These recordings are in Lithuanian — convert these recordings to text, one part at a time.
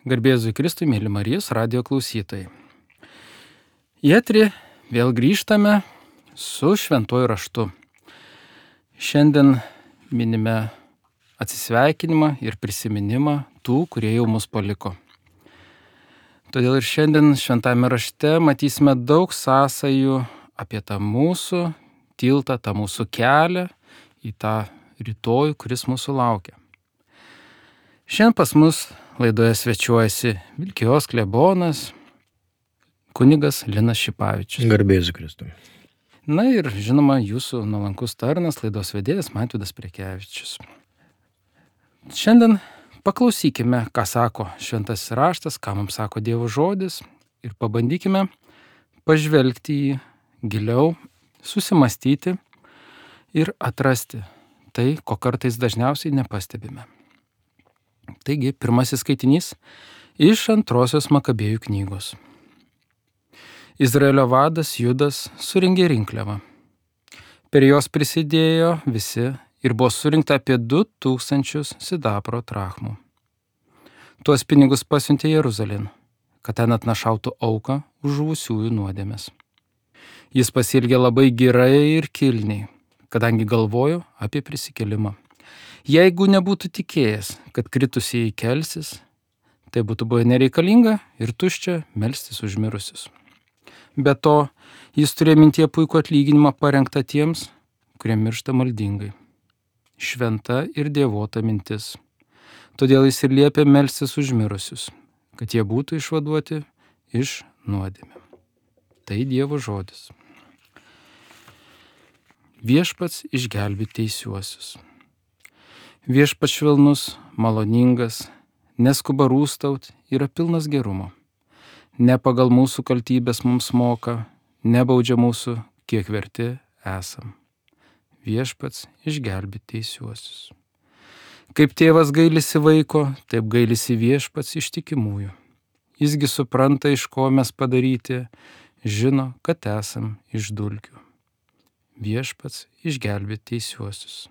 Garbėzui Kristui, mėly Marijos radijo klausytojai. Į eterį vėl grįžtame su šventuoju raštu. Šiandien minime atsisveikinimą ir prisiminimą tų, kurie jau mus paliko. Todėl ir šiandien šventame rašte matysime daug sąsajų apie tą mūsų tiltą, tą mūsų kelią į tą rytojų, kuris mūsų laukia. Šiandien pas mus laidoje svečiuojasi Vilkijos klebonas, kunigas Linas Šipavičius. Garbėzui Kristui. Na ir žinoma, jūsų nuolankus tarnas, laidos vedėjas Mažvydas Prekevičius. Šiandien paklausykime, ką sako šventasis raštas, ką mums sako Dievo žodis ir pabandykime pažvelgti į giliau, susimastyti ir atrasti tai, ko kartais dažniausiai nepastebime. Taigi, pirmasis skaitinys iš 2 Makabėjų knygos. Izraelio vadas Judas surengė rinkliavą. Per jos prisidėjo visi ir buvo surinkta apie 2000 sidabro drachmų. Tuos pinigus pasiuntė Jeruzalėn, kad ten atnašautų auką už žuvusiųjų nuodėmes. Jis pasielgė labai gerai ir kilniai, kadangi galvojo apie prisikėlimą. Jeigu nebūtų tikėjęs, kad kritusieji kelsis, tai būtų buvę nereikalinga ir tuščia melstis už mirusius. Be to, jis turėjo mintyje puikų atlyginimą parengtą tiems, kurie miršta maldingai. Šventa ir dievota mintis. Todėl jis ir liepė melstis už mirusius, kad jie būtų išvaduoti iš nuodėmių. Tai Dievo žodis. Viešpats išgelbė teisiuosius. Viešpats švelnus, maloningas, neskuba rūstaut, yra pilnas gerumo. Ne pagal mūsų kaltybės mums moka, nebaudžia mūsų, kiek verti esam. Viešpats išgelbė teisiuosius. Kaip tėvas gailisi vaiko, taip gailisi Viešpats ištikimųjų. Jisgi supranta, iš ko mes padaryti, žino, kad esam iš dulkių. Viešpats išgelbė teisiuosius.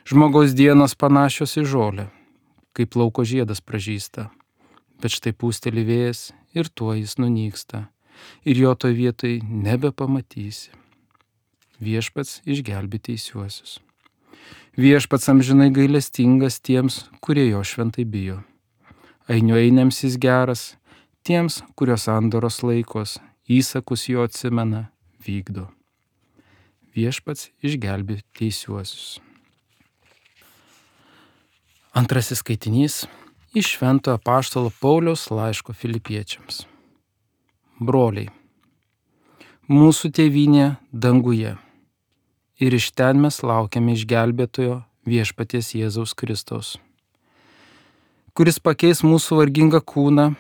Žmogaus dienos panašios į žolę, kaip lauko žiedas pražysta, bet štai pūsteli vėjas ir tuo jis nunyksta, ir jo toj vietoj nebepamatysi. Viešpats išgelbė teisiuosius. Viešpats amžinai gailestingas tiems, kurie jo šventai bijo. Ainiuoiniams jis geras, tiems, kurios sandoros laikos, įsakus jo atsimena, vykdo. Viešpats išgelbė teisiuosius. Antrasis skaitinys iš Šventojo apaštalo Pauliaus laiško Filipiečiams. Broliai, mūsų tėvynė danguje ir iš ten mes laukiame išgelbėtojo Viešpaties Jėzaus Kristaus, kuris pakeis mūsų vargingą kūną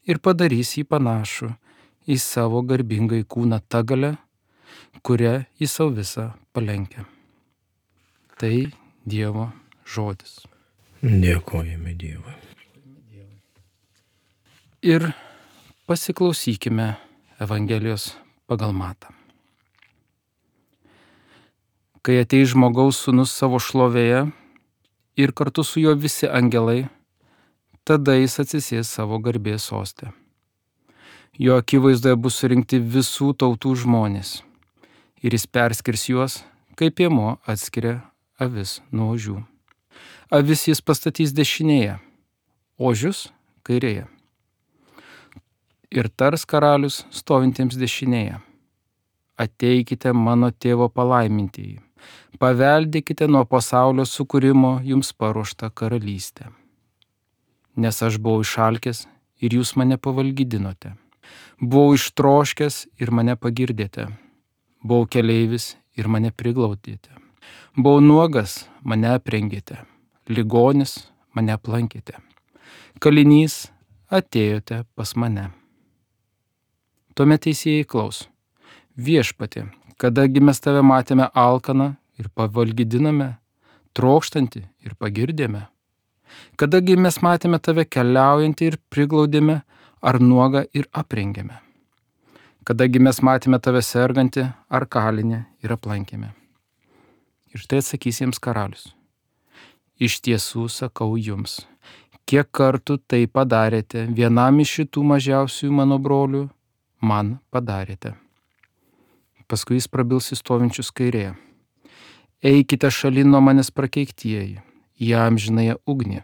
ir padarys jį panašų į savo garbingąjį kūną ta galia, kurią jis savo visą palenkia. Tai Dievo žodis. Dėkojame Dievui. Ir pasiklausykime Evangelijos pagal Matą. Kai ateis žmogaus sūnus savo šlovėje ir kartu su juo visi angelai, tada jis atsisės savo garbės soste. Jo akivaizdoje bus surinkti visų tautų žmonės ir jis perskirs juos, kaip piemuo atskiria avis nuo ožių. Avis jis pastatys dešinėje, ožius kairėje. Ir tars karalius stovintiems dešinėje. Ateikite mano tėvo palaimintieji, paveldėkite nuo pasaulio sukūrimo jums paruoštą karalystę. Nes aš buvau išalkęs ir jūs mane pavalgydinote. Buvau ištroškęs ir mane pagirdėte. Buvau keleivis ir mane priglaudėte. Buvau nuogas, mane aprengėte. Ligonis, mane aplankėte. Kalinys, atėjote pas mane. Tuomet teisėjai klaus. Viešpatie, kadagi mes tave matėme alkaną ir pavalgydiname, trokštantį ir pagirdėme. Kadagi mes matėme tave keliaujantį ir priglaudėme, ar nuogą ir aprengėme. Kadagi mes matėme tave sergantį ar kalinį ir aplankėme. Ir tai atsakys jiems karalius. Iš tiesų sakau jums, kiek kartų tai padarėte vienam iš šitų mažiausiųjų mano brolių, man padarėte. Paskui jis prabils į stovinčius kairėje. Eikite šalin nuo manęs prakeiktieji, į amžinąją ugnį,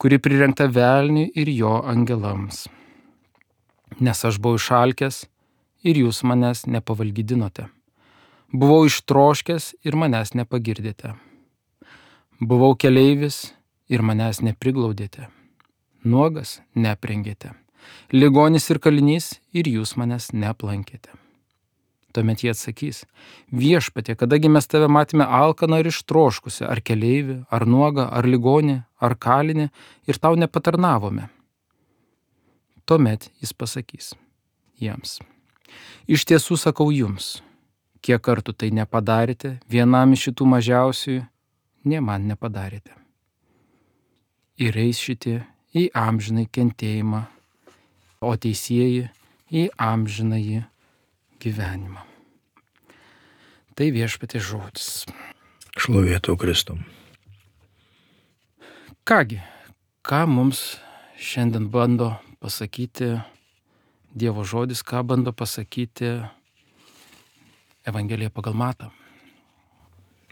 kuri prirengta velniui ir jo angelams. Nes aš buvau išalkęs ir jūs manęs nepavalgydinote. Buvau ištroškęs ir manęs nepagirdėte. Buvau keleivis ir manęs nepriglaudėte. Nuogas neaprengėte. Ligonis ir kalinys ir jūs manęs neaplankėte. Tuomet jie atsakys, viešpatie, kadagi mes tave matėme alkaną ir ištroškusi, ar keleivį, ar nuogą, ar ligonį, ar kalinį, ir tau nepatarnavome. Tuomet jis pasakys jiems, iš tiesų sakau jums, kiek kartų tai nepadarėte, vienam iš šitų mažiausiųjų, nė man nepadarėte. Ir eis šitie į amžinai kentėjimą, o teisieji į amžinąjį gyvenimą. Tai viešpaties žodis. Šlovėtų Kristum. Kągi, ką mums šiandien bando pasakyti Dievo žodis, ką bando pasakyti Evangelija pagal Matą?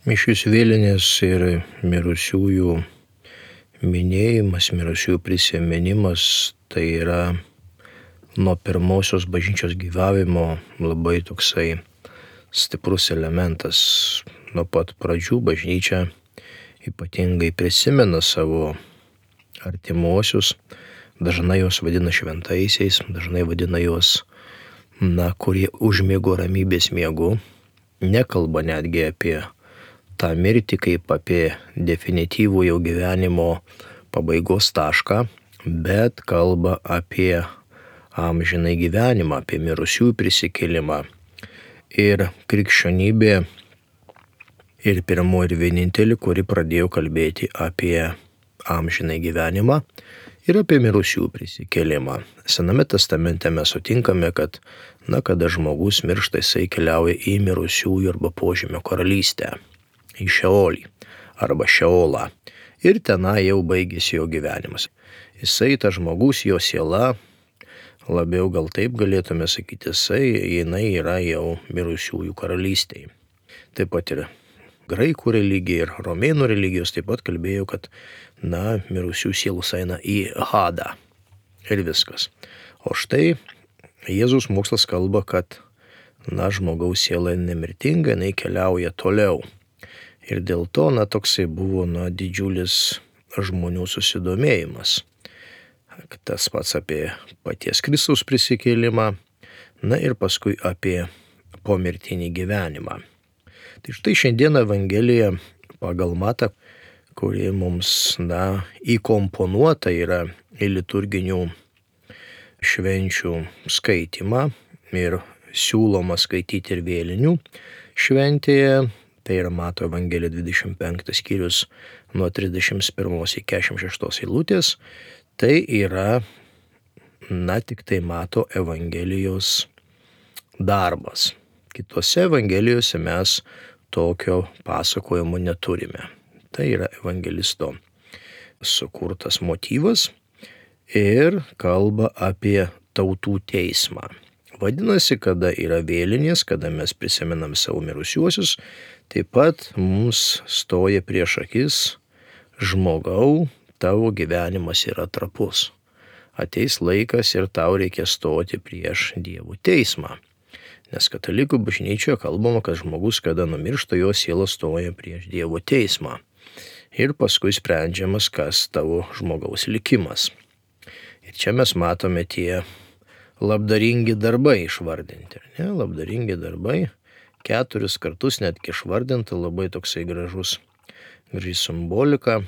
Mišios vėlinės ir mirusiųjų minėjimas, mirusiųjų prisiminimas, tai yra nuo pirmosios bažnyčios gyvavimo labai toksai stiprus elementas. Nuo pat pradžių bažnyčia ypatingai prisimena savo artimuosius, dažnai juos vadina šventaisiais, dažnai vadina juos, kurie užmiego ramybės miegu, nekalba netgi apie tą mirtį kaip apie definityvų jau gyvenimo pabaigos tašką, bet kalba apie amžinai gyvenimą, apie mirusiųjų prisikėlimą. Ir krikščionybė ir pirmo ir vienintelį, kuri pradėjo kalbėti apie amžinai gyvenimą ir apie mirusiųjų prisikėlimą. Sename testamente mes sutinkame, kad kada žmogus miršta, jisai keliauja į mirusiųjų arba požemio karalystę, į Šeolį arba Šeolą. Ir tenai jau baigėsi jo gyvenimas. Jisai, tas žmogus, jo siela, labiau gal taip galėtume sakyti, jinai yra jau mirusiųjų karalystėje. Taip pat ir graikų religija ir romėnų religijos taip pat kalbėjo, kad mirusių sielos eina į Hadą. Ir viskas. O štai Jėzus mokslas kalba, kad žmogaus siela nemirtinga, jinai keliauja toliau. Ir dėl to toksai buvo didžiulis žmonių susidomėjimas. Tas pats apie paties Kristaus prisikėlimą, ir paskui apie pomirtinį gyvenimą. Tai štai šiandien Evangelija pagal Matą, kuri mums įkomponuota yra į liturginių švenčių skaitimą ir siūloma skaityti ir vėlinių šventėje. Tai yra Mato Evangelija 25 skyrius nuo 31 iki 46 eilutės. Tai yra, tik tai Mato Evangelijos darbas. Kitose Evangelijose mes tokio pasakojimo neturime. Tai yra evangelisto sukurtas motyvas ir kalba apie tautų teismą. Vadinasi, kada yra vėlinės, kada mes prisimenam savo mirusiuosius, taip pat mums stoja prieš akis žmogau, tavo gyvenimas yra trapus. Ateis laikas ir tau reikia stoti prieš Dievo teismą. Nes katalikų bažnyčioje kalbama, kad žmogus, kada numiršta, jo siela stoja prieš Dievo teismą. Ir paskui sprendžiamas, kas tavo žmogaus likimas. Ir čia mes matome tie labdaringi darbai išvardinti. Labdaringi darbai, 4 kartus netgi išvardinta, labai toksai graži simbolika.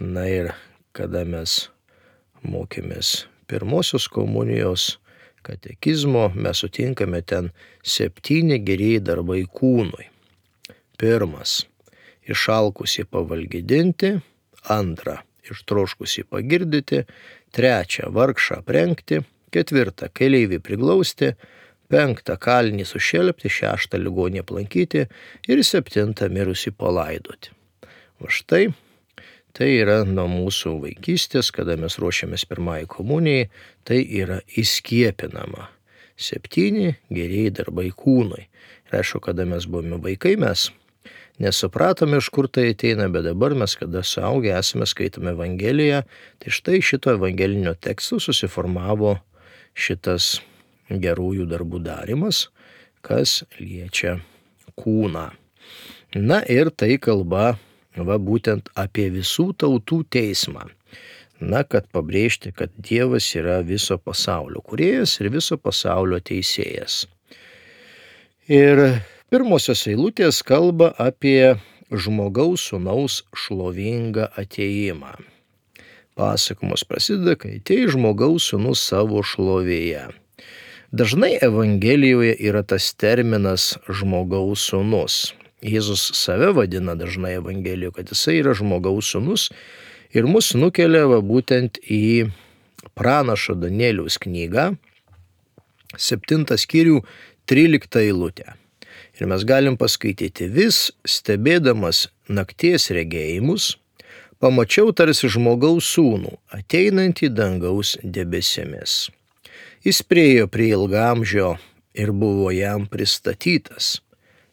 Ir kada mes mokėmės pirmosios komunijos katekizmo, mes sutinkame ten 7 gerieji darbai kūnui. 1. Išalkusį pavalgydinti. 2. Ištroškusį pagirdyti. 3. Vargšą aprengti. 4. Keleivį priglausti. 5. Kalinį sušelpti. 6. Ligonį aplankyti. Ir 7. Mirusį palaidoti. O štai Tai yra nuo mūsų vaikystės, kada mes ruošiamės pirmai komunijai, tai yra įskiepinama. 7 gerieji darbai kūnui. Ir aišku, kada mes buvome vaikai, mes nesupratome, iš kur tai ateina, bet dabar mes, kada suaugę esame, skaitome Evangeliją, tai štai šito evangelinio teksto susiformavo šitas gerųjų darbų darymas, kas liečia kūną. Na ir tai kalba būtent apie visų tautų teismą. Na, kad pabrėžti, kad Dievas yra viso pasaulio kūrėjas ir viso pasaulio teisėjas. Ir pirmosios eilutės kalba apie žmogaus sūnaus šlovingą atėjimą. Pasakojimas prasideda, kai atėjo žmogaus sūnus savo šlovėje. Dažnai Evangelijoje yra tas terminas žmogaus sūnus. Jėzus save vadina dažnai Evangelijoje, kad jisai yra žmogaus sūnus ir mus nukelia būtent į pranašo Danieliaus knygą, 7 skyrių, 13 eilutę. Ir mes galim paskaityti: vis stebėdamas nakties regėjimus, pamačiau tarsi žmogaus sūnų, ateinantį dangaus debesimis. Jis priėjo prie ilgamžio ir buvo jam pristatytas.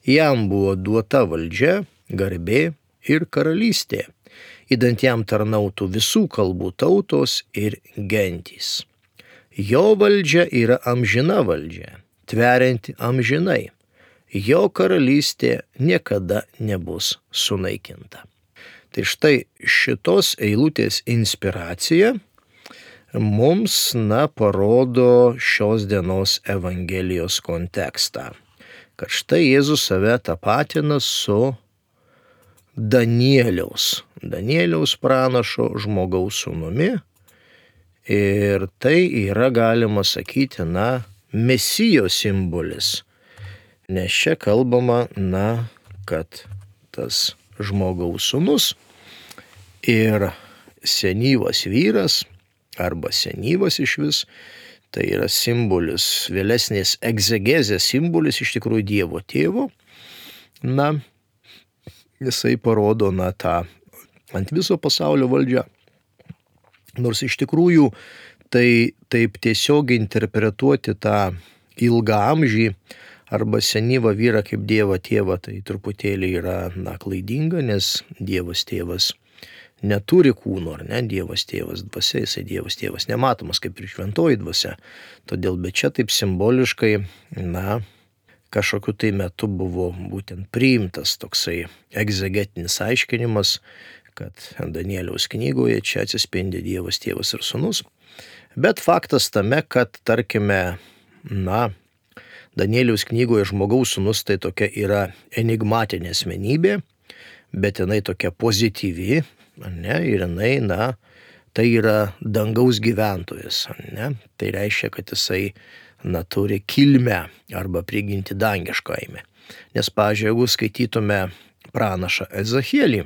Jam buvo duota valdžia, garbė ir karalystė, idant jam tarnautų visų kalbų tautos ir gentys. Jo valdžia yra amžina valdžia, tverianti amžinai. Jo karalystė niekada nebus sunaikinta. Tai štai šitos eilutės inspiracija mums, parodo šios dienos Evangelijos kontekstą. Kad štai Jėzus save tapatina su Danieliaus pranašo žmogaus sūnumi. Ir tai yra, galima sakyti, Mesijo simbolis. Nes čia kalbama, kad tas žmogaus sūnus ir senyvas vyras, arba senyvas išvis, tai yra simbolis, vėlesnės egzegezės simbolis iš tikrųjų Dievo tėvo. Jisai parodo tą ant viso pasaulio valdžią. Nors iš tikrųjų tai taip tiesiog interpretuoti tą ilgaamžį arba senyvą vyrą kaip Dievo tėvą, tai truputėlį yra klaidinga, nes Dievas tėvas neturi kūno, ar ne? Dievas tėvas dvasia, jisai Dievas tėvas nematomas kaip ir šventoji dvasia. Todėl, bet čia taip simboliškai, kažkokiu tai metu buvo būtent priimtas toksai egzegetinis aiškinimas, kad Danieliaus knygoje čia atsispindi Dievas tėvas ir sūnus. Bet faktas tame, kad, tarkime, Danieliaus knygoje žmogaus sūnus tai tokia yra enigmatinė asmenybė, bet jinai tokia pozityvi, ir jinai, tai yra dangaus gyventojas, Tai reiškia, kad jisai, turi kilmę arba prigimtį dangiškajame. Nes, pavyzdžiui, jeigu skaitytume pranašą Ezechielį,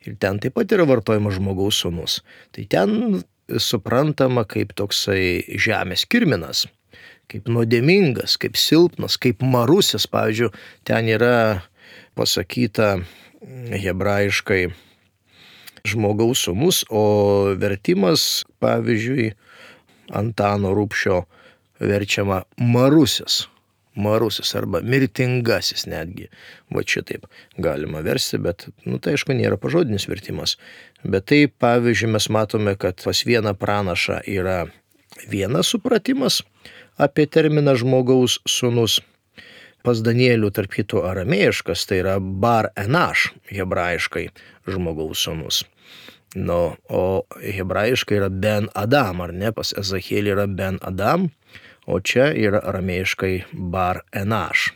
ir ten taip pat yra vartojamas žmogaus sūnus, tai ten suprantama kaip toksai žemės kirminas, kaip nuodėmingas, kaip silpnas, kaip marusis. Pavyzdžiui, ten yra pasakyta hebrajiškai žmogaus sūnus, o vertimas, pavyzdžiui, Antano Rubšio verčiama marusis arba mirtingasis netgi. Šitaip galima versti, bet, tai aišku, nėra pažodinis vertimas. Bet tai, pavyzdžiui, mes matome, kad pas vieną pranašą yra vienas supratimas apie terminą žmogaus sūnus. Pas Danielių, tarp kitų, aramėjiškas, tai yra bar enaš, hebrajiškai žmogaus sūnus. O hebrajiškai yra ben Adam, ar ne? Pas Ezechielį yra ben Adam, o čia yra aramėjiškai bar enaš.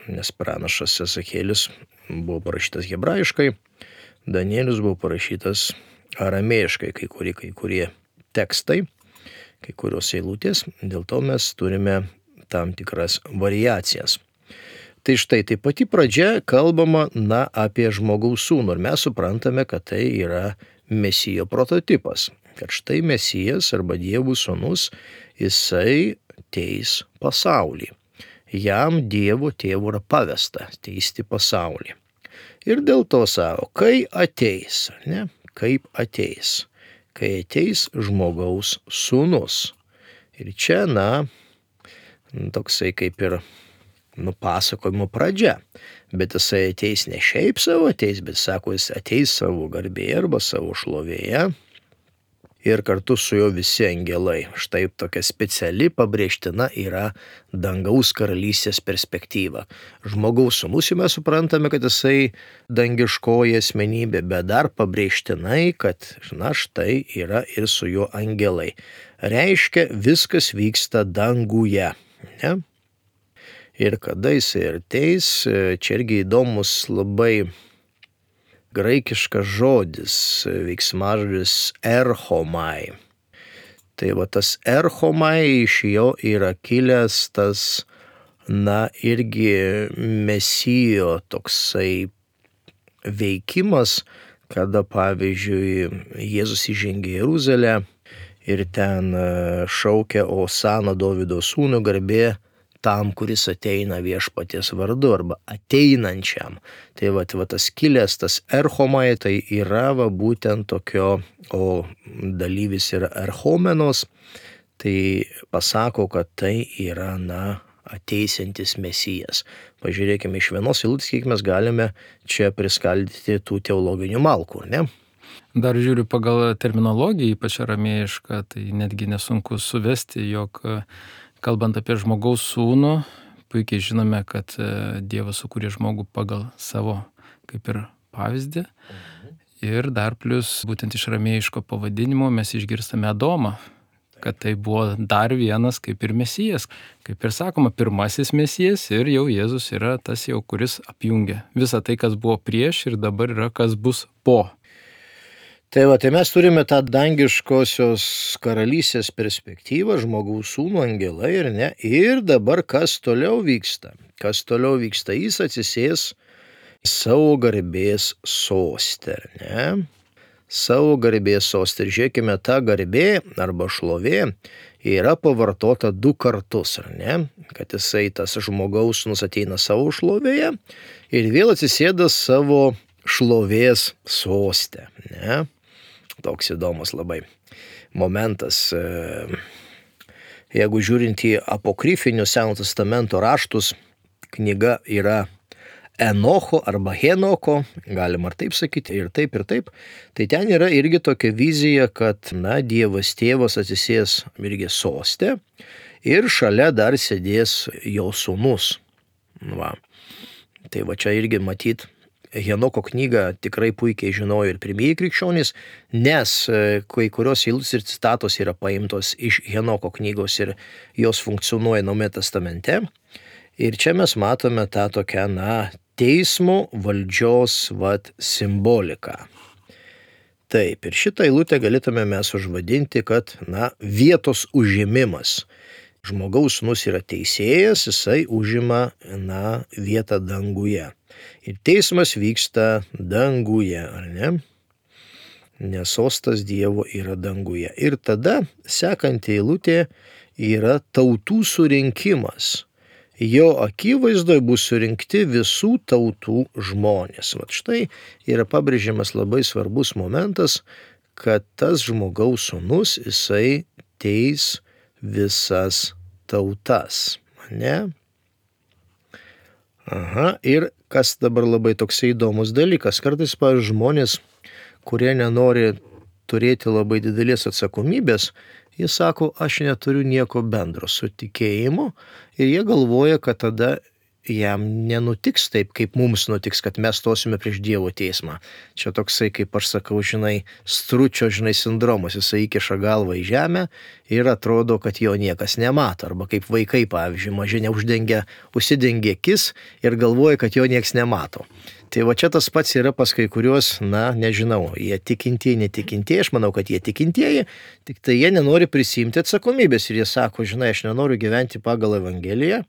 Nes pranašas Ezechielis buvo parašytas hebrajiškai, Danielius buvo parašytas aramėjiškai, kai kurie tekstai, kai kurios eilutės, dėl to mes turime tam tikras variacijas. Tai štai, tai pati pradžia kalbama, apie žmogaus sūnų, ir mes suprantame, kad tai yra Mesijo prototipas, kad štai Mesijas arba Dievo sūnus, jisai teis pasaulį. Jam Dievo tėvo yra pavesta teisti pasaulį. Ir dėl to savo, kai ateis, kaip ateis, kai ateis žmogaus sūnus. Ir čia, toksai kaip ir pasakojimo pradžia. Bet jisai ateis ne šiaip savo ateis, bet sako, jis ateis savo garbėje arba savo šlovėje ir kartu su juo visi angelai. Štai tokia speciali pabrėžtina yra dangaus karalystės perspektyva. Žmogaus sūnus mes suprantame, kad jisai dangiškoji asmenybė, bet dar pabrėžtinai, kad štai yra ir su juo angelai. Reiškia, viskas vyksta danguje. Ne? Ir kada jisai ateis, čia irgi įdomus labai graikiškas žodis, veiksmažodis erchomai. Tai tas erchomai iš jo yra kilęs tas, irgi mesijo toksai veikimas, kada pavyzdžiui Jėzus įžengė į Jeruzalę ir ten šaukia Osana Dovydo sūnų, garbė tam, kuris ateina viešpaties vardu arba ateinančiam. Tai tas kilęs, tas erchomai, tai yra būtent tokio, o dalyvis yra erchomenos, tai pasako, kad tai yra, ateisiantis mesijas. Pažiūrėkime iš vienos eilutės, kiek mes galime čia priskaldyti tų teologinių malkų, ne? Dar žiūriu pagal terminologiją, ypač aramėjišką, tai netgi nesunku suvesti, jog kalbant apie žmogaus sūnų, puikiai žinome, kad Dievas sukūrė žmogų pagal savo kaip ir pavyzdį. Ir dar plus būtent iš aramėjiško pavadinimo mes išgirstame Adomą, kad tai buvo dar vienas kaip ir mesijas. Kaip ir sakoma, pirmasis mesijas ir jau Jėzus yra tas jau, kuris apjungia visą tai, kas buvo prieš ir dabar yra, kas bus po. Tai mes turime tą dangiškosios karalystės perspektyvą, žmogaus sūnų, angelai, ir ne. Ir dabar kas toliau vyksta? Kas toliau vyksta? Jis atsisės savo garbės soste, ne? Savo garbės soste. Ir žiūrėkime, ta garbė arba šlovė yra pavartota 2 kartus, ar ne? Kad jisai tas žmogaus sūnus ateina savo šlovėje ir vėl atsisėda savo šlovės soste, ne? Toks įdomus labai momentas. Jeigu žiūrint į apokrifinius Seno testamento raštus, knyga yra Enocho arba Henoko, galima ir taip sakyti, ir taip, tai ten yra irgi tokia vizija, kad, Dievas tėvas atsisės irgi soste ir šalia dar sėdės jo sūnus. Tai čia irgi matyt, Henoko knygą tikrai puikiai žinojo ir pirmieji krikščionys, nes kai kurios eilutės ir citatos yra paimtos iš Henoko knygos ir jos funkcionuoja Naujame testamente. Ir čia mes matome tą tokią, teismo valdžios simboliką. Taip, ir šitą eilutę galėtume mes užvadinti, kad, vietos užėmimas. Žmogaus sūnus yra teisėjas, jisai užima, vietą danguje. Ir teismas vyksta danguje, ar ne? Nes sostas Dievo yra danguje. Ir tada sekanti eilutė yra tautų surinkimas. Jo akivaizdoje bus surinkti visų tautų žmonės. Štai yra pabrėžiamas labai svarbus momentas, kad tas žmogaus sūnus, jisai teis visas tautas, ne? Ir kas dabar labai toksai įdomus dalykas, kartais, pavyzdžiui, žmonės, kurie nenori turėti labai didelės atsakomybės, jie sako, aš neturiu nieko bendro su tikėjimu ir jie galvoja, kad tada jam nenutiks taip, kaip mums nutiks, kad mes stosime prieš Dievo teismą. Čia toksai, kaip aš sakau, stručio, sindromas, jisai įkiša galvą į žemę ir atrodo, kad jo niekas nemato. Arba kaip vaikai, pavyzdžiui, maži užsidengia akis ir galvoja, kad jo niekas nemato. Tai čia tas pats yra pas kai kuriuos, nežinau, jie tikintieji, netikintieji, aš manau, kad jie tikintieji, tik tai jie nenori prisiimti atsakomybės ir jie sako, aš nenoriu gyventi pagal Evangeliją.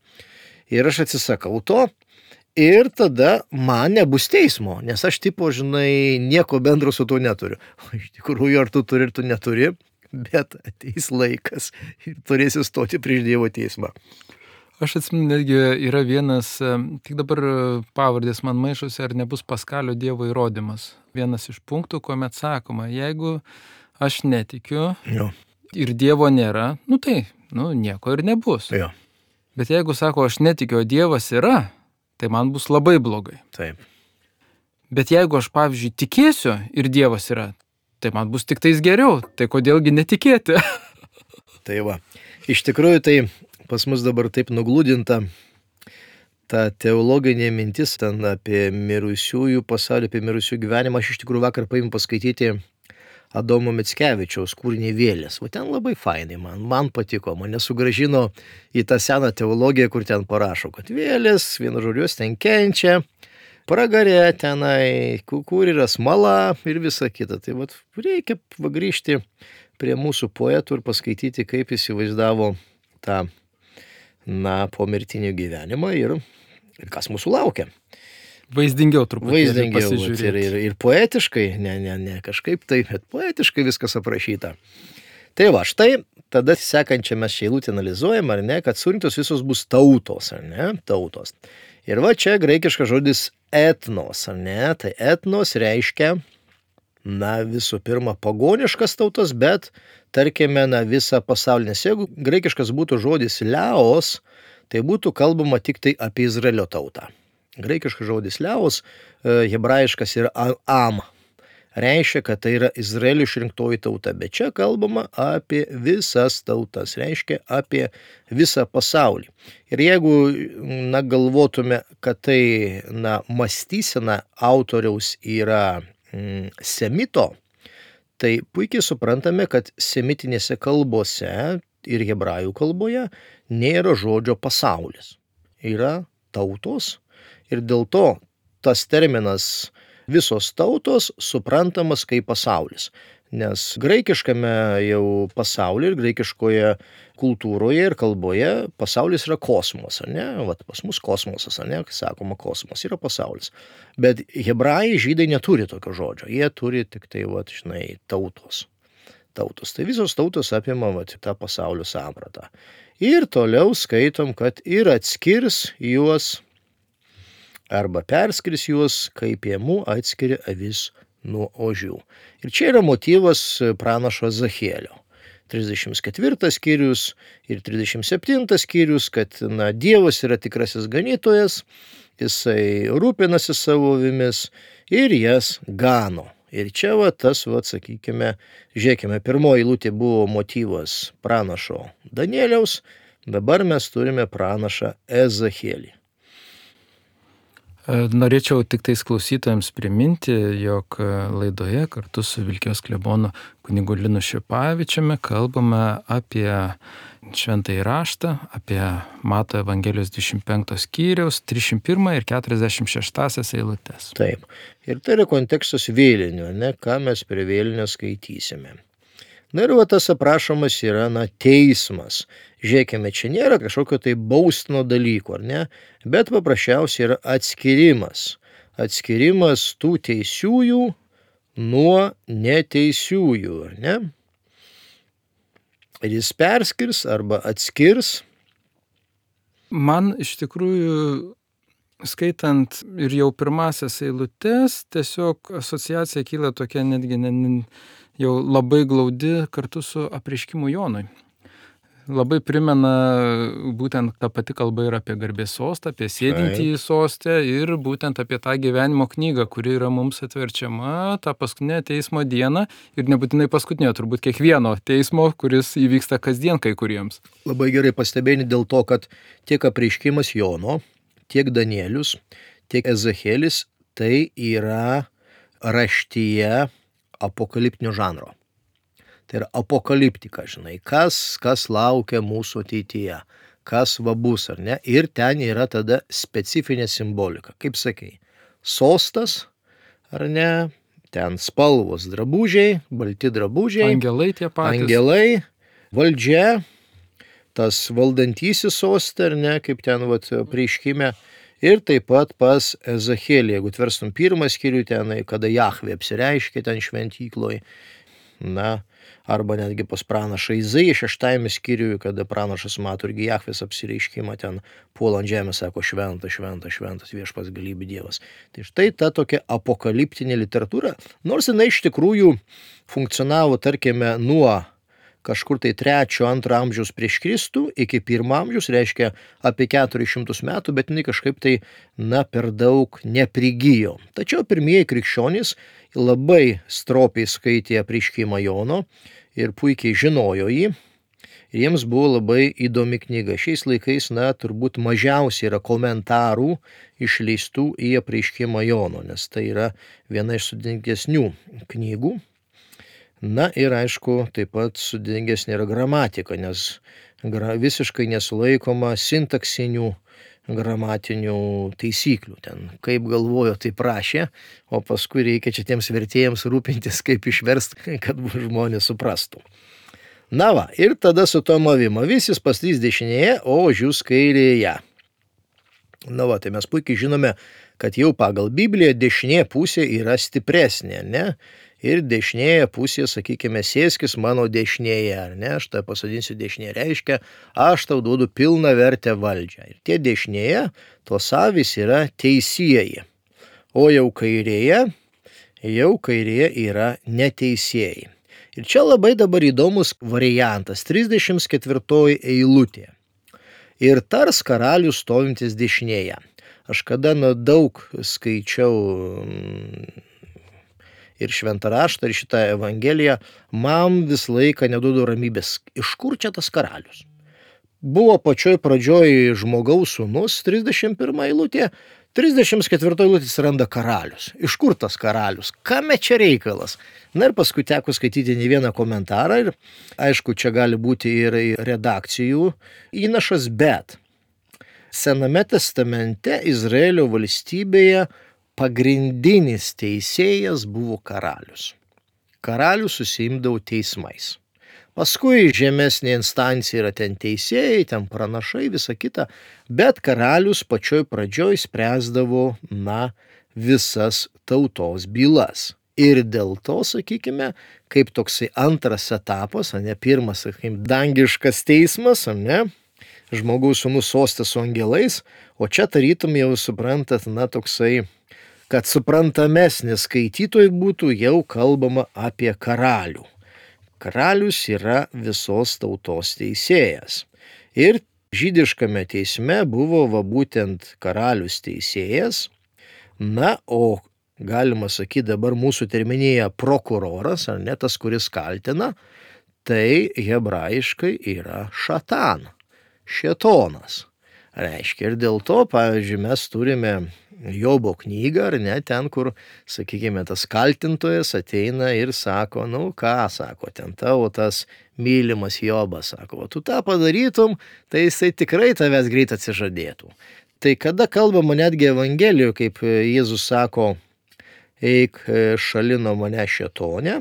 Ir aš atsisakau to ir tada man nebus teismo, nes aš nieko bendro su to neturiu. O iš tikrųjų, ar tu turi ir tu neturi, bet ateis laikas ir turėsi stoti prieš Dievo teismą. Aš atsimenu, netgi yra vienas, tik dabar pavardės man maišosi, ar nebus Paskalio Dievo įrodymas. Vienas iš punktų, kuomet sakoma, jeigu aš netikiu Jo. ir Dievo nėra, tai nieko ir nebus. Jo. Bet jeigu sako, aš netikiu, o Dievas yra, tai man bus labai blogai. Taip. Bet jeigu aš, pavyzdžiui, tikėsiu ir Dievas yra, tai man bus tik tais geriau. Tai kodėlgi netikėti? Tai va. Iš tikrųjų, tai pas mus dabar taip nuglūdinta ta teologinė mintis ten apie mirusiųjų pasaulį, apie mirusiųjų gyvenimą. Aš iš tikrųjų vakar paėmiau paskaityti Adomo Mickevičiaus kūrinį Vėlės. O ten labai fainai, man patiko, mane sugrąžino į tą seną teologiją, kur ten parašo, kad vėlės, vienu žodžiu, ten kenčia, pragarė tenai, kur yra smala ir visa kita. Tai vat reikia grįžti prie mūsų poetų ir paskaityti, kaip įsivaizdavo tą, pomirtinį gyvenimą ir kas mūsų laukia. Vaizdingiau truputį. Vaizdingiau ir poetiškai, ne kažkaip tai, bet poetiškai viskas aprašyta. Tai va, štai tada sekančią mes šią eilutę analizuojam, ar ne, kad surinktos visos bus tautos, ar ne, tautos. Ir va čia graikiškas žodis etnos, ar ne, tai etnos reiškia, visų pirma, pagoniškas tautas, bet, tarkime, visą pasaulį. Nes jeigu graikiškas būtų žodis leos, tai būtų kalbama tik tai apie Izraelio tautą. Graikiškas žodis leos, hebrajiškas yra am. Reiškia, kad tai yra Izraelio išrinktoji tauta, bet čia kalbama apie visas tautas, reiškia apie visą pasaulį. Ir jeigu, galvotume, kad tai, mąstysena autoriaus yra semito, tai puikiai suprantame, kad semitinėse kalbose ir hebrajų kalboje nėra žodžio pasaulis. Yra tautos ir dėl to tas terminas visos tautos suprantamas kaip pasaulis. Nes graikiškame jau pasaulyje ir graikiškoje kultūroje ir kalboje pasaulis yra kosmos, ar ne? Vat pas mus kosmosas, ar ne? Kai sakoma kosmos yra pasaulis. Bet hebrajai, žydai neturi tokio žodžio. Jie turi tik tai, tautos. Tautos. Tai visos tautos apima tą pasaulio sampratą. Ir toliau skaitom, kad ir atskirs juos arba perskirs juos, kaip piemų atskiria avis nuo ožių. Ir čia yra motyvas pranašo Ezechielio. 34 skyrius ir 37 skyrius, kad Dievas yra tikrasis ganytojas, jisai rūpinasi savo avimis ir jas gano. Ir čia sakykime, žiūrėkime, pirmoji eilutė buvo motyvas pranašo Danieliaus, dabar mes turime pranašą Ezechielį. Norėčiau tik tais klausytojams priminti, jog laidoje kartu su Vilkijos klebonu kunigu Linu Šipavičiumi kalbame apie Šventąjį raštą, apie Mato Evangelijos 25 skyriaus 301 ir 46 eilutes. Taip. Ir tai yra kontekstas vėlinių, ką mes prie vėlinio skaitysime. Ir tas aprašomas yra teismas. Žiūrėkime, čia nėra kažkokio tai baustino dalyko, ar ne? Bet paprasčiausiai yra atskirimas. Atskirimas tų teisiųjų nuo neteisiųjų, ar ne? Ir jis perskirs arba atskirs. Man iš tikrųjų, skaitant ir jau pirmasias eilutes, tiesiog asociacija kyla tokia netgi jau labai glaudi kartu su apreiškimu Jonui. Labai primena būtent ta pati kalba ir apie garbės sostą, apie sėdintį į sostę ir būtent apie tą gyvenimo knygą, kuri yra mums atverčiama tą paskutinę teismo dieną ir nebūtinai paskutinę, turbūt kiekvieno teismo, kuris įvyksta kasdien kai kuriems. Labai gerai pastebėjai dėl to, kad tiek apreiškimas Jono, tiek Danielius, tiek Ezechielis tai yra raštyje apokaliptinio žanro. Tai yra apokaliptika, kas laukia mūsų ateityje, kas bus, ar ne? Ir ten yra tada specifinė simbolika. Kaip sakai, sostas, ar ne? Ten spalvos drabužiai, balti drabužiai. Angelai tie patys. Angelai, valdžia, tas valdantysis sostė, ar ne? Kaip ten apreiškime. Ir taip pat pas Ezechielį, jeigu tverstum pirmą skyrių ten, kada Jahvė apsireiškė ten šventykloj. arba netgi pas pranašą Izaiją 6 skyriuje, kada pranašas mato irgi Jahvės apsireiškimą, ten puola ant žemės, sako šventas, šventas, šventas viešpats galybių Dievas. Tai štai ta tokia apokaliptinė literatūra, nors jinai iš tikrųjų funkcionavo, tarkime, nuo kažkur tai 3-2 amžiaus prieš Kristų iki 1 amžiaus, reiškia apie 400 metų, bet jinai kažkaip tai, per daug neprigijo. Tačiau pirmieji krikščionys labai stropiai skaitė apreiškimą Jono ir puikiai žinojo jį. Ir jiems buvo labai įdomi knyga. Šiais laikais, turbūt mažiausiai yra komentarų išleistų į apreiškimą Jono, nes tai yra viena iš sudėtingesnių knygų. Ir aišku, taip pat sudėtingesnė yra gramatika, nes visiškai nesulaikoma sintaksinių gramatinių taisyklių. Ten kaip galvojo, taip rašė, o paskui reikia čia tiems vertėjams rūpintis, kaip išversti, kad žmonės suprastų. Ir tada su tom avim. Avis paslys dešinėje, o ožius kairėje. Tai mes puikiai žinome, kad jau pagal Bibliją dešinė pusė yra stipresnė, ne? Ir dešinėje pusėje, sakykime, sėskis mano dešinėje, ar ne, aš tave pasadinsiu dešinėje, reiškia, aš tau duodu pilną vertę valdžią. Ir tie dešinėje, tos avys yra teisieji, o jau kairėje yra neteisieji. Ir čia labai dabar įdomus variantas, 34 eilutė. Ir tars karalius stovintis dešinėje. Aš kada daug skaičiau ir šventą raštą, ir šitą evangeliją, man vis laiką neduodu ramybės. Iš kur čia tas karalius? Buvo pačioj pradžioj žmogaus sūnus, 31 eilutė, 34 eilutės randa karalius. Iš kur tas karalius? Kame čia reikalas? Ir paskui teko skaityti ne vieną komentarą ir aišku, čia gali būti ir redakcijų įnašas, bet Sename testamente Izraelio valstybėje pagrindinis teisėjas buvo karalius. Karalius susiimdavo teismais. Paskui žemesnė instancija yra ten teisėjai, ten pranašai, visa kita, bet karalius pačioj pradžioj spręsdavo, visas tautos bylas. Ir dėl to, sakykime, kaip toksai antras etapas, pirmas, sakykime, dangiškas teismas, žmogaus sūnus soste su angelais, o čia tarytum jau suprantat, toksai, kad suprantamesnis skaitytojui būtų jau kalbama apie karalių. Karalius yra visos tautos teisėjas. Ir žydiškame teisme buvo būtent karalius teisėjas, o galima sakyti dabar mūsų terminėje prokuroras, ar ne tas, kuris kaltina, tai hebrajiškai yra šatan, šėtonas. Reiškia, ir dėl to, pavyzdžiui, mes turime Jobo knygą, ar ne, ten, kur, sakykime, tas kaltintojas ateina ir sako, sako, ten tavo tas mylimas Jobas, sako, tu tą padarytum, tai jisai tikrai tavęs greit atsižadėtų. Tai kada kalbama netgi Evangelijoje, kaip Jėzus sako, eik šalin nuo mane šėtone,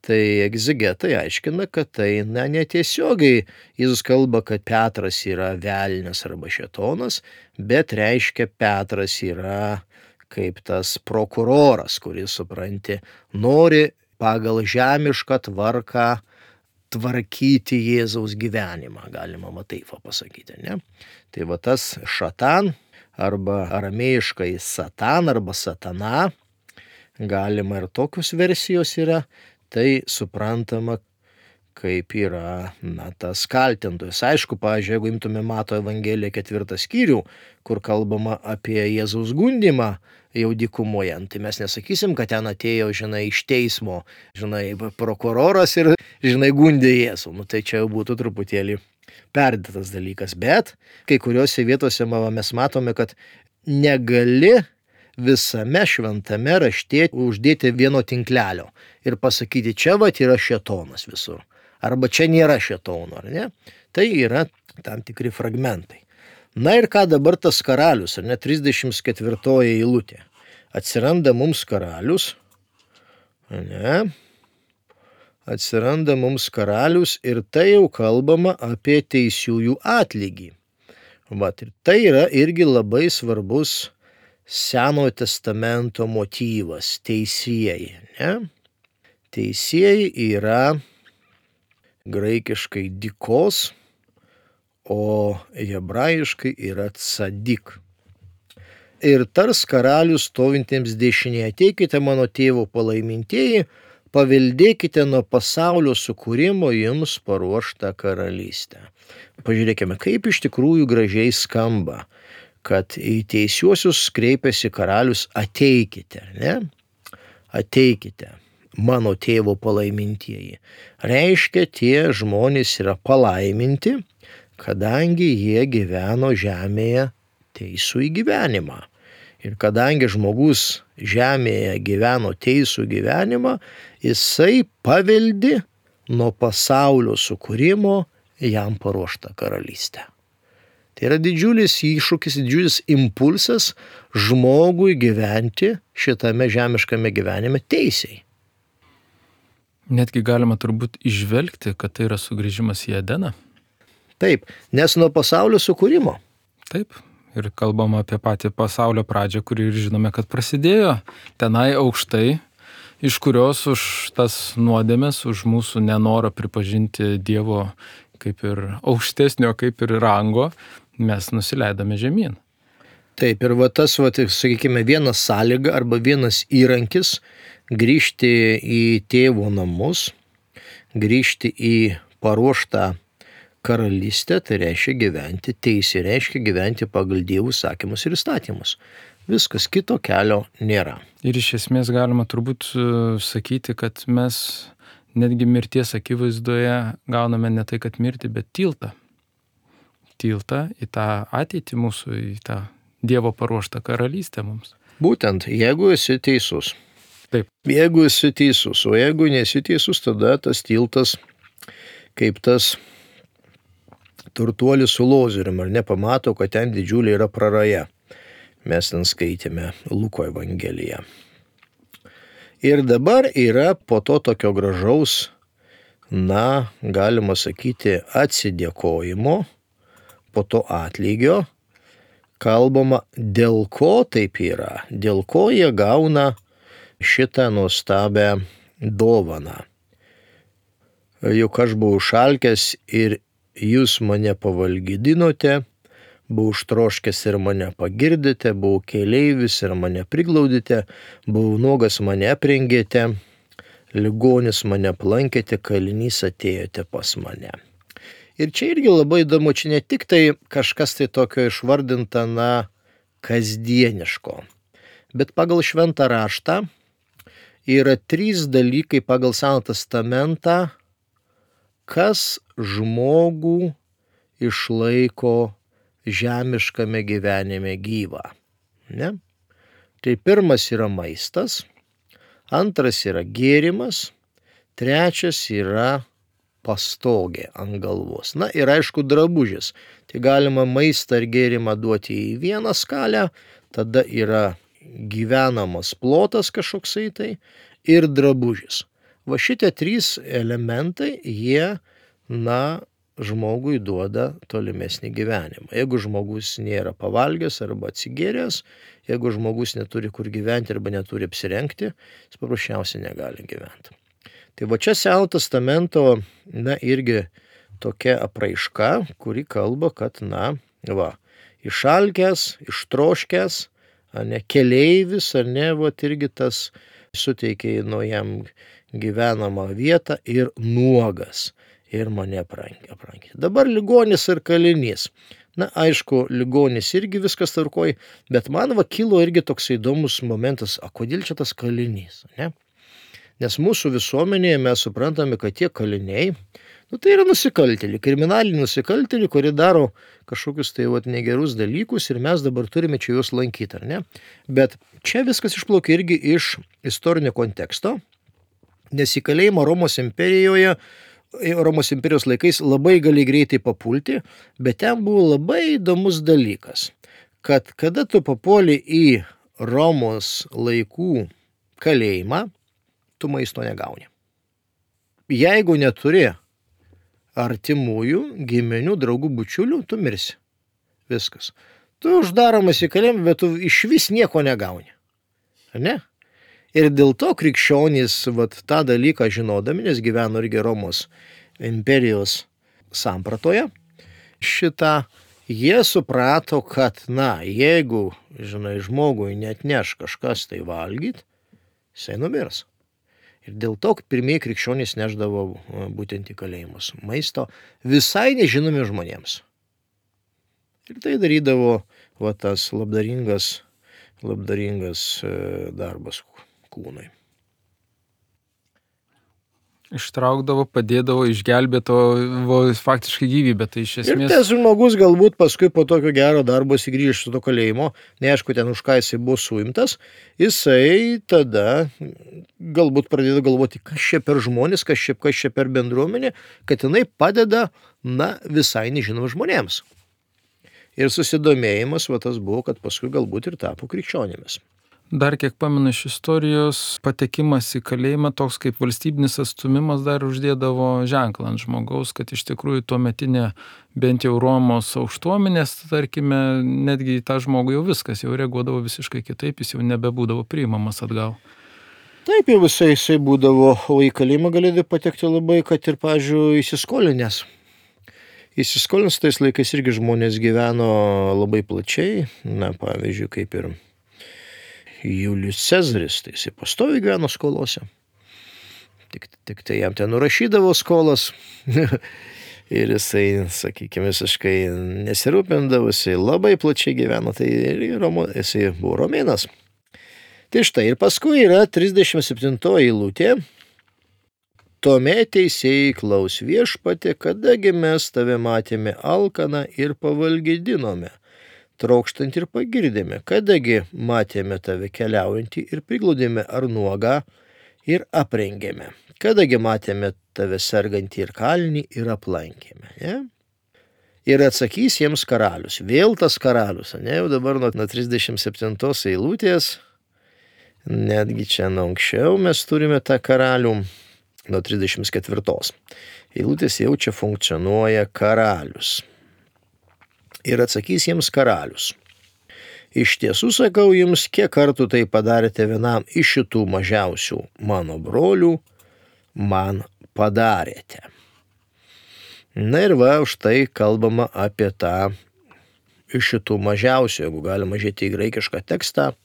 tai egzegetai aiškina, kad tai netiesiogiai Jėzus kalba, kad Petras yra velnias arba šėtonas, bet reiškia Petras yra kaip tas prokuroras, kuris, supranti, nori pagal žemišką tvarką tvarkyti Jėzaus gyvenimą, galima taip pasakyti, ne? Tai tas šatan arba aramėjiškai satan arba satana, galima ir tokios versijos yra, tai suprantama, kaip yra tas kaltintojas. Aišku, pavyzdžiui, jeigu imtume Mato Evangeliją 4 skyrių, kur kalbama apie Jėzaus gundymą jau dykumoje, tai mes nesakysim, kad ten atėjo, iš teismo, prokuroras ir, gundė Jėzų. Tai čia jau būtų truputėlį perdėtas dalykas. Bet kai kuriuose vietose mes matome, kad negali visame šventame rašte uždėti vieno tinklelio ir pasakyti, čia yra šėtonas visur, arba čia nėra šėtono, ar ne? Tai yra tam tikri fragmentai. Ir ką dabar tas karalius, ar ne, 34 eilutė. Atsiranda mums karalius, ne? Atsiranda mums karalius ir tai jau kalbama apie teisiųjų atlygį. Ir tai yra irgi labai svarbus Senojo testamento motyvas, teisieji, ne? Teisieji yra graikiškai dikos, o hebrajiškai yra tzadik. Ir tars karalius stovintiems dešinėje: ateikite mano tėvo palaimintieji, paveldėkite nuo pasaulio sukūrimo jums paruoštą karalystę. Pažiūrėkime, kaip iš tikrųjų gražiai skamba, kad į teisiuosius kreipiasi karalius: ateikite, ne? Ateikite, mano tėvo palaimintieji. Reiškia, tie žmonės yra palaiminti, kadangi jie gyveno žemėje teisų į gyvenimą. Ir kadangi žmogus žemėje gyveno teisų gyvenimą, jisai paveldi nuo pasaulio sukūrimo jam paruoštą karalystę. Tai yra didžiulis iššūkis, didžiulis impulsas žmogui gyventi šitame žemiškame gyvenime teisiai. Netgi galima turbūt išvelgti, kad tai yra sugrįžimas į Edeną. Taip, nes nuo pasaulio sukūrimo. Taip. Ir kalbama apie patį pasaulio pradžią, kuri ir žinome, kad prasidėjo tenai aukštai, iš kurios už tas nuodėmes, už mūsų nenorą pripažinti Dievo kaip ir aukštesnio, kaip ir rango, mes nusileidome žemyn. Taip, ir tas, sakykime, vienas sąlyga arba vienas įrankis grįžti į tėvo namus, grįžti į paruoštą karalystė, tai reiškia gyventi teisė, reiškia gyventi pagal Dievo įsakymus ir įstatymus. Viskas, kito kelio nėra. Ir iš esmės galima turbūt sakyti, kad mes netgi mirties akivaizdoje gauname ne tai, kad mirtį, bet tiltą. Tiltą į tą ateitį mūsų, į tą Dievo paruoštą karalystę mums. Būtent, jeigu esi teisus. Taip. Jeigu esi teisus, o jeigu nesi teisus, tada tas tiltas, kaip tas turtuolis su lozorium, ar nepamato, kad ten didžiulė yra praraja. Mes ten skaitėme Luko Evangeliją. Ir dabar yra po to tokio gražaus, galima sakyti, atsidėkojimo, po to atlygio, kalbama, dėl ko taip yra, dėl ko jie gauna šitą nuostabią dovaną. Juk aš buvau šalkęs ir jūs mane pavalgydinote, buvau užtroškęs ir mane pagirdėte, buvau keleivis ir mane priglaudėte, buvau nuogas mane aprengėte, ligonis mane aplankėte, kalinys atėjote pas mane. Ir čia irgi labai įdomu, čia ne tik tai kažkas tai tokio išvardinta, kasdieniško, bet pagal šventą raštą yra 3 dalykai pagal Seną testamentą, kas žmogų išlaiko žemiškame gyvenime gyvą. Ne? Tai pirmas yra maistas, antras yra gėrimas, trečias yra pastogė ant galvos. Ir aišku drabužis. Tai galima maistą ir gėrimą duoti į vieną skalę, tada yra gyvenamas plotas kažkoksai tai ir drabužis. Va šitie 3 elementai, jie, žmogui duoda tolimesnį gyvenimą. Jeigu žmogus nėra pavalgęs arba atsigėręs, jeigu žmogus neturi kur gyventi arba neturi apsirengti, jis paprasčiausiai negali gyventi. Tai va čia Seno testamento, irgi tokia apraiška, kuri kalba, kad, išalkęs, ištroškęs, keleivis, irgi tas suteikė jam gyvenamą vietą ir nuogas. Ir mane aprankė. Dabar ligonis ir kalinys. Aišku, ligonis irgi viskas tvarkoj, bet man kilo irgi toks įdomus momentas, kodėl čia tas kalinys, ne? Nes mūsų visuomenėje mes suprantame, kad tie kaliniai, tai yra nusikaltėliai, kriminaliniai nusikaltėliai, kurie daro kažkokius tai negerus dalykus ir mes dabar turime čia juos lankyti, ar ne? Bet čia viskas išplaukia irgi iš istorinio konteksto, nes į kalėjimą Romos imperijos laikais labai gali greitai papulti, bet ten buvo labai įdomus dalykas, kad kada tu papuoli į Romos laikų kalėjimą, tu maisto negauni. Jeigu neturi artimųjų, giminių, draugų, bučiulių, tu mirsi. Viskas. Tu uždaromas į kalėjimą, bet tu išvis nieko negauni. Ar ne? Ir dėl to krikščionys tą dalyką žinodami, nes gyveno irgi Romos imperijos sampratoje šitą, jie suprato, kad, jeigu, žmogui neatneš kažkas tai valgyti, jisai numirs. Ir dėl to pirmieji krikščionys neždavo būtent į kalėjimus maisto visai nežinomi žmonėms. Ir tai darydavo tas labdaringas darbas kūnui. Ištraukdavo, padėdavo, išgelbėdavo faktiškai gyvybę. Tai iš esmės... Ir tas žmogus galbūt paskui po tokio gero darbo sugrįžęs iš to kalėjimo, neaišku ten už ką jisai buvo suimtas, jisai tada galbūt pradėjo galvoti, kas čia per žmonės, kas čia per bendruomenė, kad jinai padeda, visai nežinom žmonėms. Ir susidomėjimas tas buvo, kad paskui galbūt ir tapo krikščionėmis. Dar kiek pamenu iš istorijos, patekimas į kalėjimą toks kaip valstybinis atstumimas dar uždėdavo ženklą ant žmogaus, kad iš tikrųjų tuometinė bent jau Romos aukštuomenės, tarkime, netgi į tą žmogų jau viskas, jau reaguodavo visiškai kitaip, jis jau nebebūdavo priimamas atgal. Taip jau jisai būdavo, o į kalėjimą galėdavo patekti labai, kad ir, pavyzdžiui, įsiskolinęs. Įsiskolinus tais laikais irgi žmonės gyveno labai plačiai, pavyzdžiui, kaip ir Julius Cezaris, tai jisai pastoviai gyveno skolose. Tik tai jam ten nurašydavo skolas ir jisai, sakykime, visiškai nesirūpindavo, jisai labai plačiai gyveno, tai jisai buvo romėnas. Tai štai ir paskui yra 37 eilutė. Tuomet teisėjai klaus viešpatie, kadagi mes tave matėme alkaną ir pavalgydinome, trokštant ir pagirdėme, kadagi matėme tave keliaujantį ir prigludėme ar nuogą ir aprengėme, kadagi matėme tave sergantį ir kalinį ir aplankėme. Ne? Ir atsakys jiems karalius, vėl tas karalius, jau dabar nuo 37 eilutės, netgi čia anksčiau mes turime tą karalių, nuo 34 eilutės jau čia funkcionuoja karalius. Ir atsakys jiems karalius. Iš tiesų sakau jums, kiek kartų tai padarėte vienam iš šitų mažiausių mano brolių, man padarėte. Ir už tai kalbama apie tą iš šitų mažiausių, jeigu galima žiūrėti į graikišką tekstą,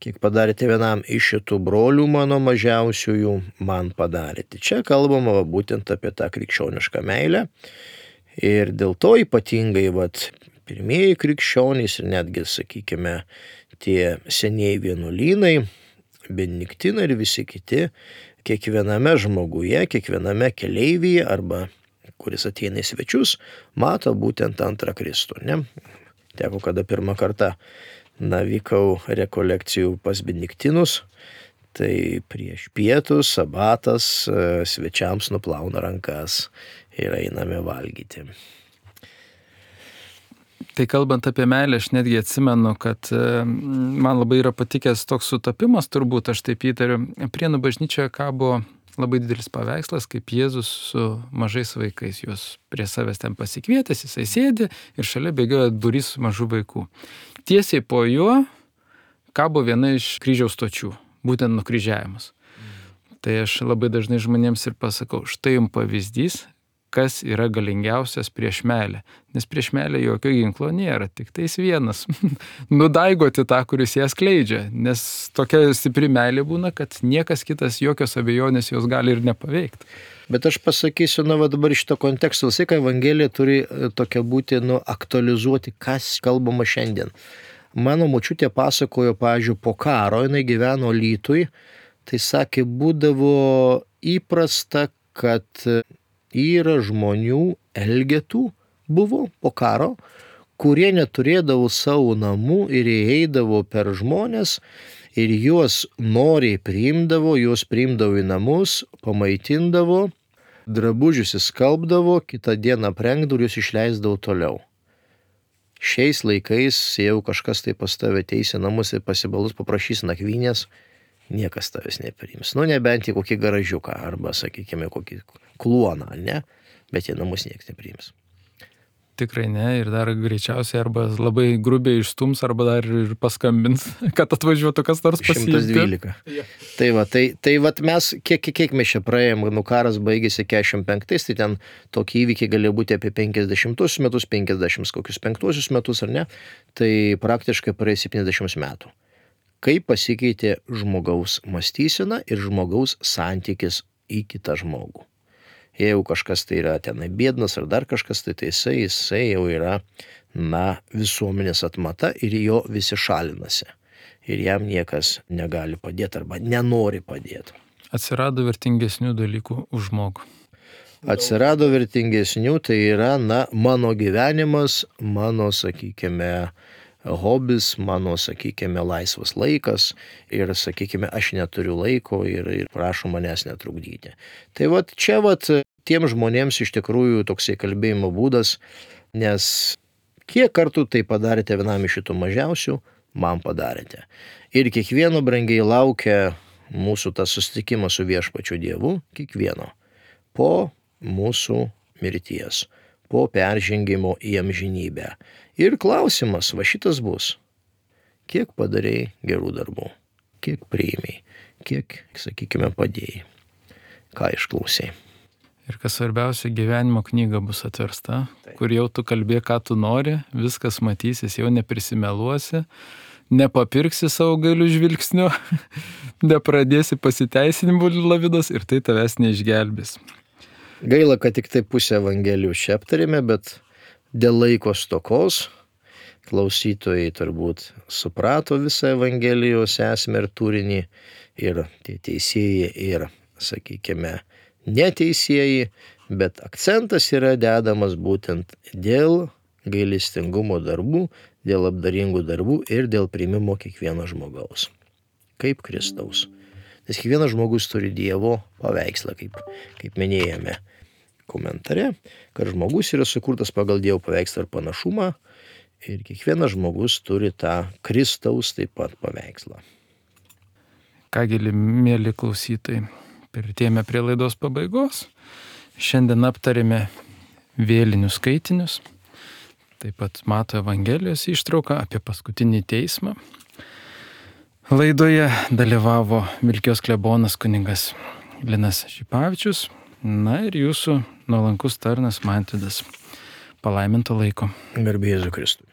kiek padarėte vienam iš šitų brolių mano mažiausiųjų, man padarėte. Čia kalbama būtent apie tą krikščionišką meilę. Ir dėl to ypatingai pirmieji krikščionys ir netgi, sakykime, tie senieji vienuolynai, benediktinai ir visi kiti, kiekviename žmoguje, kiekviename keleivyje arba kuris ateina į svečius, mato būtent antrą Kristų. Ne? Teko, kada pirmą kartą vykau rekolekcijų pas benediktinus, tai prieš pietus, sabatas, svečiams nuplauna rankas ir einame valgyti. Tai kalbant apie meilę, aš netgi atsimenu, kad man labai yra patikęs toks sutapimas, turbūt aš taip įtariu, Prienų bažnyčioje kabo labai didelis paveikslas, kaip Jėzus su mažais vaikais, juos prie savęs ten pasikvietęs, jisai sėdi ir šalia bėgioja būrys mažų vaikų. Tiesiai po juo kabo viena iš kryžiaus stočių, būtent nukryžiavimas. Tai aš labai dažnai žmonėms ir pasakau, štai jums pavyzdys, kas yra galingiausias prieš meilę. Nes prieš meilę jokio ginklo nėra, tik tais vienas. Nudaigoti tą, kuris ją skleidžia. Nes tokia stipri meilė būna, kad niekas kitas jokios abejonės jos gali ir nepaveikti. Bet aš pasakysiu, dabar šito konteksto, visai, kad Evangelija turi tokia būti, aktualizuoti, kas kalbama šiandien. Mano močiutė pasakojo, pavyzdžiui, po karo, jinai gyveno Lytui, tai sakė, būdavo įprasta, kad yra žmonių elgetų buvo po karo, kurie neturėdavo savo namų ir įeidavo per žmonės ir juos noriai priimdavo, juos priimdavo į namus, pamaitindavo, drabužius įskalbdavo, kitą dieną aprengdavo ir juos išleisdavo toliau. Šiais laikais, jeigu kažkas tai pas tave ateis į namus ir pasibalus paprašys nakvynės, niekas tavęs nepriims. Nebent į kokį garažiuką arba, sakykime, kokį kluoną, ne? Bet į namus niekas nepriims. Tikrai ne, ir dar greičiausiai arba labai grubiai išstums, arba dar ir paskambins, kad atvažiuotų kas nors pasiimti. 112. Tai mes, kiek mes čia praėjom, karas baigėsi 45, tai ten tokie įvykiai galėjo būti apie 50 metus, 55 metus, ar ne, tai praktiškai praėjo 70 metų. Kaip pasikeitė žmogaus mąstysena ir žmogaus santykis į kitą žmogų. Jeigu kažkas tai yra tenai biednas ar dar kažkas, tai jisai jau yra, visuomenės atmata ir jo visi šalinasi. Ir jam niekas negali padėti arba nenori padėti. Atsirado vertingesnių dalykų už žmogų. Atsirado vertingesnių, tai yra, mano gyvenimas, mano, sakykime, hobis, mano, sakykime, laisvas laikas ir, sakykime, aš neturiu laiko ir prašau manęs netrukdyti. Tai čia tiem žmonėms iš tikrųjų toksai kalbėjimo būdas, nes kiek kartų tai padarėte vienam iš šitų mažiausių, man padarėte. Ir kiekvieno brangiai laukia mūsų tas susitikimas su viešpačiu Dievu, kiekvieno, po mūsų mirties, po peržengimo į amžinybę. Ir klausimas, šitas bus, kiek padarėjai gerų darbų, kiek priėmei, kiek, sakykime, padėjai, ką išklausai. Ir kas svarbiausia, gyvenimo knyga bus atversta, kur jau tu kalbė, ką tu nori, viskas matysis, jau neprisimeluosi, nepapirksi savo gailių žvilgsniu, nepradėsi pasiteisinimų lavidos ir tai tavęs neišgelbės. Gaila, kad tik tai pusę Evangelijų čia aptarėme, bet dėl laiko stokos klausytojai turbūt suprato visą Evangelijos esmę ir turinį, ir tie teisėjai, ir, sakykime, neteisėjai, bet akcentas yra dedamas būtent dėl gailestingumo darbų, dėl apdaringų darbų ir dėl priimimo kiekvieno žmogaus, kaip Kristaus. Nes kiekvienas žmogus turi Dievo paveikslą, kaip minėjome komentare, kad žmogus yra sukurtas pagal Dievo paveikslą ir panašumą ir kiekvienas žmogus turi tą Kristaus taip pat paveikslą. Kągi, mėly klausytojai, prieartėjome prie laidos pabaigos. Šiandien aptarėme vėlinių skaitinius, taip pat Mato Evangelijos ištrauką apie paskutinį teismą. Laidoje dalyvavo Vilkijos klebonas kunigas Linas Šipavičius, ir jūsų nuolankus tarnas Mantvydas. Palaiminto laiko. Garbė Jėzui Kristui.